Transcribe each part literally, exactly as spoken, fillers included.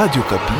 Radio Okapi.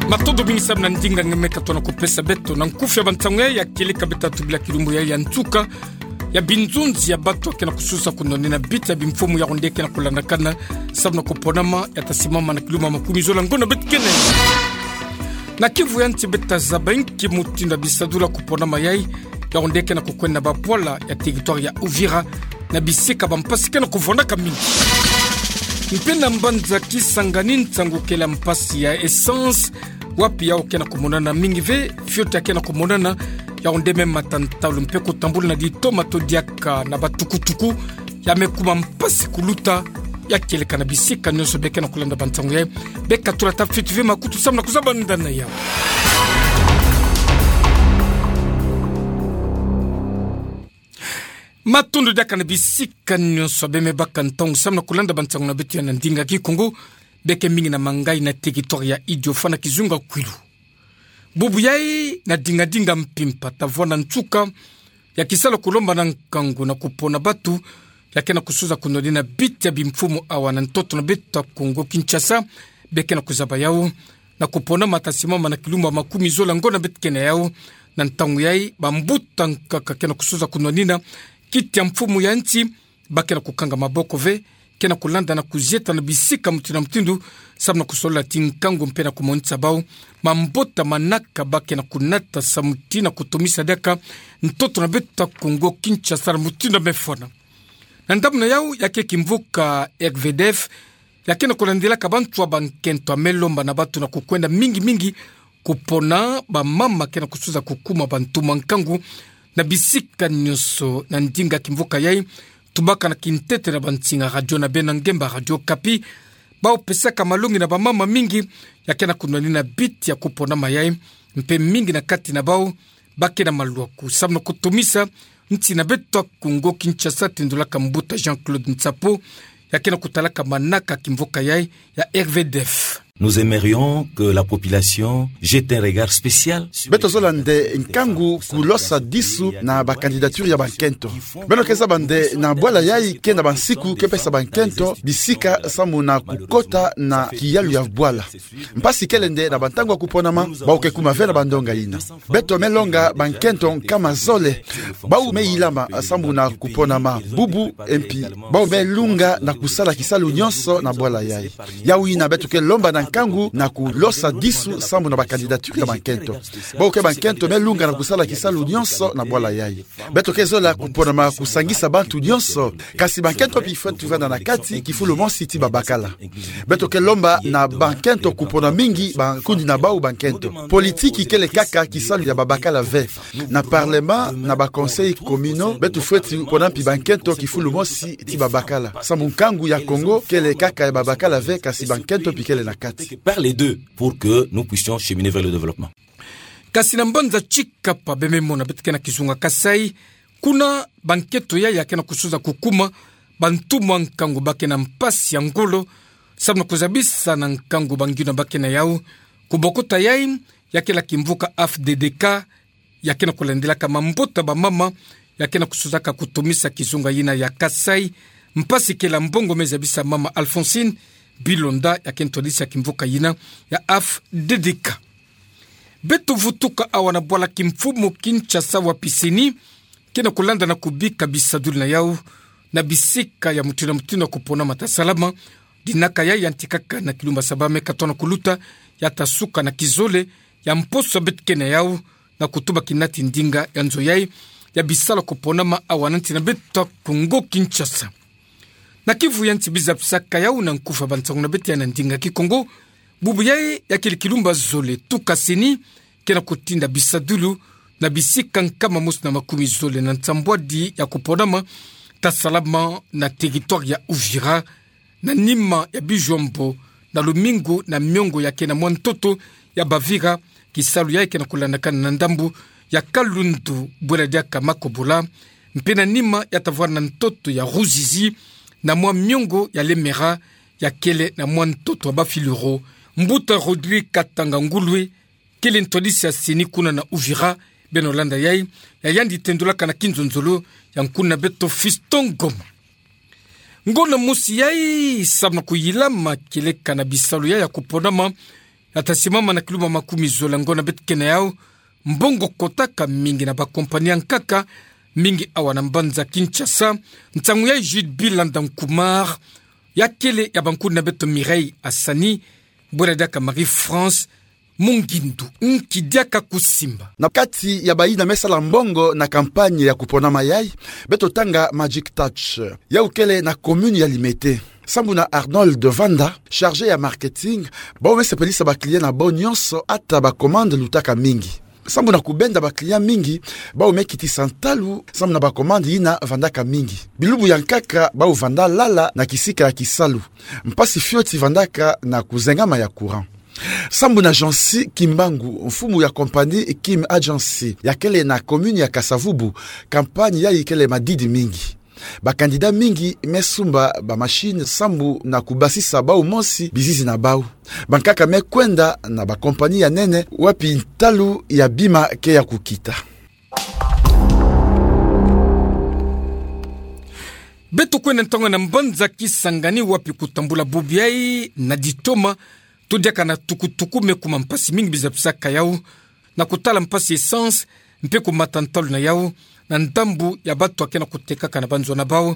Matondo mingi samu na ndinga ngemeka tona kupesa beto na nkufi ya bansangu ya, ya kieleka beto tubila kilumbu ya, ya nsuka ya binzunzi ya bato ya kena kususa kunwanina biti ya bimfumu ya ronde kena kulandakana samu na kuponama ya tasimama na kilumbu makumi zola ngonda beto kena. Na kivu ya nsi beto tazaba inki mutindu ya bisadulu ya kuponama yayi, ya ronde kena kukwenda na babwala ya territoire ya Uvira, na bisika bampasi kena kuvwandaka mingi. Mpe na mbanza Kisangani nsangu kele ya mpasi ya essence, wapi yawu kena kumonana mingi ve, fioti ya kena kumonana, ya ronde me matantalu mpe kutambula na ditoma to diaka na batukutuku, ya me kuma mpasi kuluta, ya kieleka na bisika nyonso. Beka kena kulanda bansangu yayi, beka tula ta fioti ve makutu samu na kuzabanda na yawu. Matondo diaka na bisika nyonso, beka me baka ntangu samu na kulanda bansangu na beto ya na ndinga Kikongo, beka mingi na mangayi na territoire ya Idiofa na kizunga Kwilu. Bubu yayi na dingadinga mpimpa tavwanda nsuka ya kisalu ya kulomba na nkangu na kupona bato ya kena kususa kunwanina biti ya bimfumu awa na ntoto na beto ya Kongo Kinshasa, beka kena kuzaba yawu na kuponama ya tasimama na kilumbu makumi zola ngonda beto kena yawu. Na ntangu yayi, bambuta nkaka kena kususa kunwanina kiti ya mfumu ya nsi, ba kena kukanga maboko ve, kena kulanda na kuzieta na bisika mutindu na mutindu, samu na kusolola ti nkangu mpe na kumonisa bawu mabota manaka ba kena kunata samu ti na kutomisa diaka ntoto na beto ya Kongo Kinshasa na mutindu ya mefwana. Na ndambu na yawu, ya ke kimvuka R V D F, ya kena kulandilaka bantu ya bankento ya me lomba na bato na kukwenda mingi mingi kupona bamama kena kususa kukuma bantu ya nkangu na bisika nyonso. Na ndinga kimvuka yayi, tubaka na kintete na bansinga radio na beno ya ngemba Radio Okapi, bawu pesaka malongi na bamama mingi ya kena kunwanina biti ya kuponama yayi, mpe mingi na kati na bawu ba kena malwaku samu na kutomisa nsi na beto ya Kongo Kinshasa, tendulaka mbuta Jean-Claude Nsapo, ya kena kutalaka manaka ya kimvuka yayi ya R V D F. Nous aimerions que la population jette un regard spécial sur... Beto zola nde nkangu kulosa disu na bacandidature ya bankento. Beno ke zaba nde na bwala yayi ke na bansiku ke pesa bankento bisika samu na kukota na kiyalu ya bwala. Mpasi kele nde na bantangu ya kuponama, bawu ke kuma ve na bandonga yina. Beto me longa bankento nkama zole bawu me yilama samu na kuponama bubu, et puis bawu me lunga na kusala kisalu nyonso na bwala yayi. Yawu yina beto ke lomba na nkangu na kulosa disu samu na bacandidature ya bankento. Bawu ke bankento me lunga na kusala kisalu nyonso na bwala yayi. Beto ke zola kuponama kusangisa bantu nyonso, kasi bankento mpi fweti vanda na kati kifulu mosi ti babakala. Beto ke lomba na bankento kupona mingi bankundi na bawu bankento. Politiki kele kaka kisalu ya babakala ve. Na parlement, na baconseils communaux, beto fweti pona mpi bankento kifulu mosi ti babakala. Samu nkangu ya Kongo kele kaka ya babakala ve, kasi bankento mpi kele na kati. Par les deux, pour que nous puissions cheminer vers le développement. Kasi na mbanza Tshikapa, beka me mona beto ke na kizunga Kasaï, kuna bankento yayi ya kena kususa kukuma bantu ya nkangu ba kena mpasi ya ngolo, samu na kuzabisa na nkangu bangiona ba kena yawu. Kubokota yayi, ya kele kimvuka F D D K, ya kena kulandilaka mabota bamama ya kena kususaka kutomisa kizunga yina ya Kasaï, mpasi kele mbongo me zabisa mama Alphonsine Bilonda, ya ke ntwadisi ya kimvuka yina ya F D D K. Beto vutuka awa na bwala kimfumu Kinshasa, wapi CENI kena kulanda na kubika bisadulu na yawu na bisika ya mutindu na mutindu ya kuponama ta salama. Dinaka yayi yantikaka na kilumbu ya saba me katona kuluta, ya ta suka na kizole ya mposo beto ke na yawu, na kutuba kina ti ndinga ya nzo yayi ya bisalu ya kuponama awa na nsi na beto Kongo Kinshasa. Na kivu ya nsi biza bisaka yawu na nkufa bansangu na beto ya na ndinga Kikongo. Bubu yayi ya kele kilumbu ya zole tuka CENI kena kutinda bisadulu na bisika nkama mosi na makumi zole na nsambwadi ya kuponama ta salama na territoire ya Uvira, na nima ya bijwambo na lumingu na miongo ya kena mwa ntoto ya Bavira, kisalu yayi kena kulandakana na ndambu ya Kalundu, bwela diaka Makobola, mpe na nima ya ta vwanda na ntoto ya Ruzizi, na mwa miongo ya Lemera, ya kele na mwa ntoto ya Bafilero. Mbuta Rodrigue Katanga Ngulwe, kele ntwadisi ya CENI kuna na Uvira, Beno landa yai, ya yandi tendulaka na kinzonzolo ya nkuna beto Fiston Ngoma. Ngonda mosi yai, samu na kuyilama kieleka na bisalu yai ya kuponama, ya ta simama na kiluma makumi zole ngonda beto ke na yau, mbongo kotaka mingi na bakompani ya nkaka, mingi awa na mbanza Kinshasa, nsangu yai Jude Bilanda Nkumar, ya kele ya bankuna beto Mireille Asani, bwela diaka Marie-France Mungindu, nki diaka kusimba. Na kati ya bayina me sala mbongo na campagne ya kuponama yai, beto tanga Magic Touch, yau kele na commune ya Limete. Sambu na Arnold Vanda, chargé ya marketing, bau me sepelisa ba client na bau nyonso, ata ba commande lutaka mingi. Sambu na kubenda ba client mingi, bau me kitisa ntalu, sambu na ba commande yina vandaka mingi. Bilumbu ya nkaka bau vanda lala na kisika ya kisalu. Mpasi fioti vandaka na kuzengama ya courant. Sambu na Jeancy Kimbangu, mfumu ya compagnie Kim Agency, ya kele na commune ya Kasa-Vubu, campagne yai kele madidi mingi. Ba candidat mingi me sumba ba machine sambu na kubasisa bau mosi bizizi na bau. Bankaka me kwenda na ba compagnie ya nene wapi ntalu ya bima ke ya kukita. Beto kwenda ntangu na mbanza Kisangani wapi kutambula bubu yai na ditoma, to diaka na tukutuku me kuma mpasi mingi bizapisaka yau, na kutala mpasi essence, mpe kumata ntalu na yau, na ndambu ya bato ya ke na kutekaka na banzo na bau,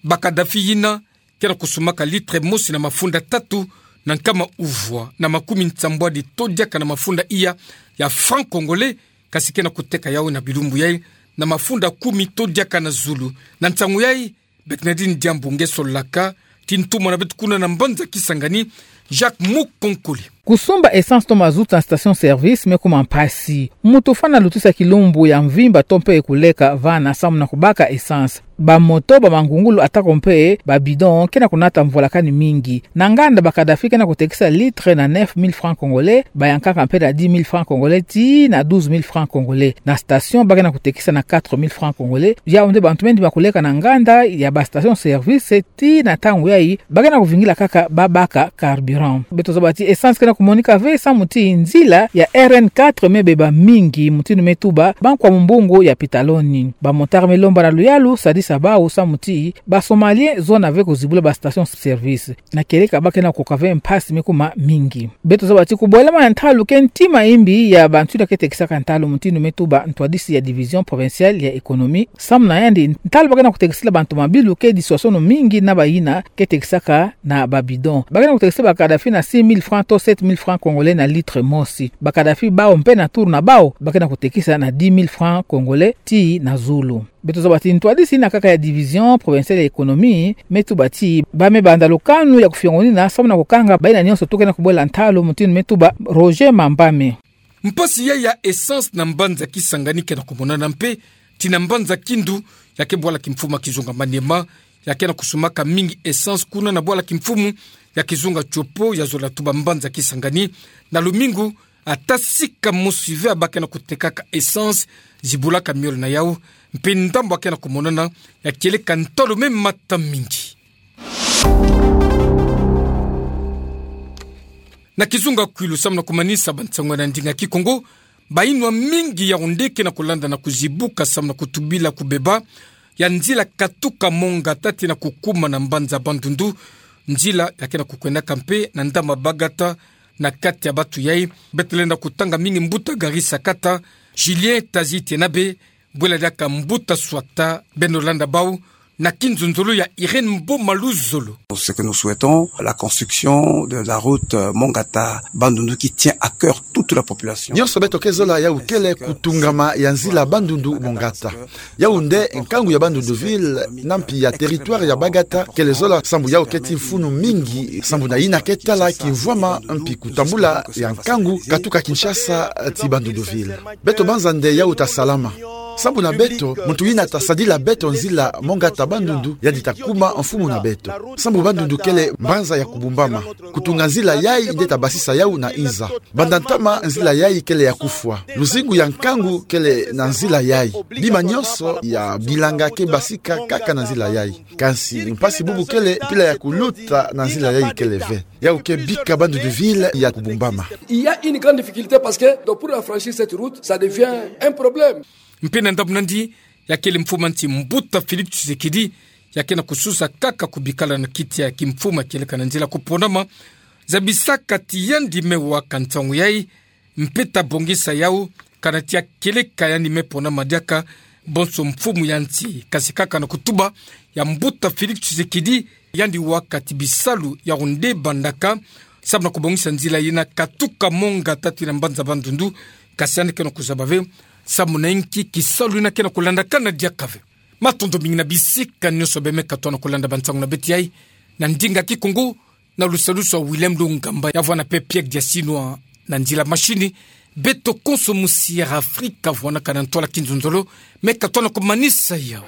ba Kadhafi yina, ke na kusumaka litre mosi na mafunda tatu na nkama uvwa na makumi nsambwadi to diaka na mafunda iya ya franc congolais, kasi ke na kuteka yau na bilumbu yai na mafunda kumi to diaka na zulu. Na nsangu yai, Bernardine Diambu nge solaka, ti ntumwa na beto kuna na mbanza Kisangani, Jacques Mukonkole. Kusumba essence to mazout na station service me kuma mpasi. Moto fwana lutisa kilumbu ya mvimba to mpe kuleka vana samu na kubaka essence. Ba moto, ba mangungulu atako mpe ba bidon ke na kunata mvwalakani mingi. Na nganda ba Kadhafi ke na kutekisa litre na neuf mille francs congolais, ba ya nkaka mpe na dix mille francs congolais tii na douze mille francs congolais. Na station ba ke na kutekisa na quatre mille francs congolais. Yau nde bantu me ndima kuleka na nganda ya ba station service tii na ntangu yai ba ke na kuvingila kaka ba baka carburant. Beto zaba ti essence ke na kumonika ve samu ti nzila ya R N quatre me beba mingi, mutindu me tuba bankwa mumbungu ya pitaloni. Ba motard me lomba na luyalu sadisa bau samu ti ba Somaliens zona ve kuzibula ba station service. Na kieleka ba ke na kukoka ve mpasi me kuma mingi. Beto zaba ti kubwelama ya ntalu ke ntima imbi ya bantu yina ke tekisaka ntalu, mutindu me tuba ntwadisi ya Division Provinciale ya Economie. Samu na yandi, ntalu ba ke na kutekisila bantu mabilu ke diswasono mingi na bayina ke tekisaka na ba bidon. Ba ke na kutekisila ba Kadhafi na six mille francs to sept mille francs congolais na litre mosi. Ba Kadhafi bau mpe na turu na bau, ba ke na kutekisa na dix mille francs congolais tii na zulu. Beto zaba ti ntwadisi yina kaka ya Division Provinciale ya Economie me tuba ti ba me banda lukanu ya kufiongonina samu na kukanga bayina nyonso to ke na kubwela ntalu, mutindu me tuba Roger Mambame. Mpasi yai ya essence na mbanza Kisangani ke na kumonana mpe tii na mbanza Kindu, ya ke bwala kimfumu ya kizunga Maniema, ya ke na kusumaka mingi essence kuna na bwala kimfumu ya kizunga Tshopo, ya zola tuba mbanza Kisangani. Na lumingu, ata sika mosi ve ba ke na kutekaka essence, zibulaka miolo na yau, mpe ndambu ya ke na kumonana ya kieleka ntalu me mata mingi. Na kizunga Kwilu, samu na kumanisa ba nsangu na ndinga Kikongo, bayinwa mingi ya Yaoundé ke na kulanda na kuzibuka samu na kutubila kubeba ya nzila katuka Mont Ngata tii na kukuma na mbanza Bandundu. Nzila ya ke na kukwendaka mpe na ndama Bagata. Na kati ya bato yai, beto lenda kutanga mingi mbuta Gary Sakata, Julien Tazite na be, bwela diaka mbuta Swata, beno landa bau na kinzonzolo ya Irène Mboma Luzolo. Ce que nous souhaitons, la construction de la route, euh, Mont Ngata Bandundu qui tient à cœur toute la population. Nyonso beto ke zola yau kele kutungama ya nzila Bandundu Mont Ngata. Yau nde nkangu ya Bandundu ville, na mpi ya territoire ya Bagata, kele zola sambu yau keti mfunu mingi, sambu na yina ke tala kimvwama mpi kutambula ya nkangu katuka Kinshasa tii Bandundu ville. Beto banza nde yau ta salama. Sambu na beto, muntu yina tasadila beto nzila mo nga ta bandundu, yandi takuma mfumu na beto. Sambu bandundu kele mbanza ya kubumbama. Kutunga nzila yayi nde tabasisa yawu na inza. Banda ntama nzila yayi kele ya kufwa. Luzingu ya nkangu kele na nzila yayi. Bima nyonso ya bilanga ke basika kaka na nzila yayi. Kansi mpasi bubu kele, mpila ya kuluta na nzila yayi kele ve. Yawu ke bika bandundu ville ya kubumbama. Il y a une grande difficulté parce que, donc, pour affranchir cette route, ça devient un problème. Mpe na ndambu nandi, ya kele mfumu a nsi mbuta Félix Tshisekedi, ya ke na kususa kaka kubikala na kiti ya kimfumu kieleka na nzila kuponama, zabisaka ti yandi me waka nsangu yayi, mpe tabongisa yawu, kana ti ya kieleka yandi me ponama diaka bonso mfumu ya nsi, kansi kaka na kutuba ya mbuta Félix Tshisekedi, yandi waka ti bisalu yawu nde bandaka, sambu na kubongisa nzila yina katuka mo nga tatu yina mbanza bandundu, kansi yandi ke na kuzaba ve, sambu na inki kisalu yina ke na kulandakana diaka ve. Matondo mingi na bisika nyonso beno me katoa na kulanda bansangu na beto yayi, na ndinga kikongo, na lusalusu ya Willem Lungamba, ya vwanda mpe Pierre Diasinwa na nzila machine. Beto konso mu Sierra Afrika vwanaka na ntwala kinzonzolo, me katoa na kumanisa yawu.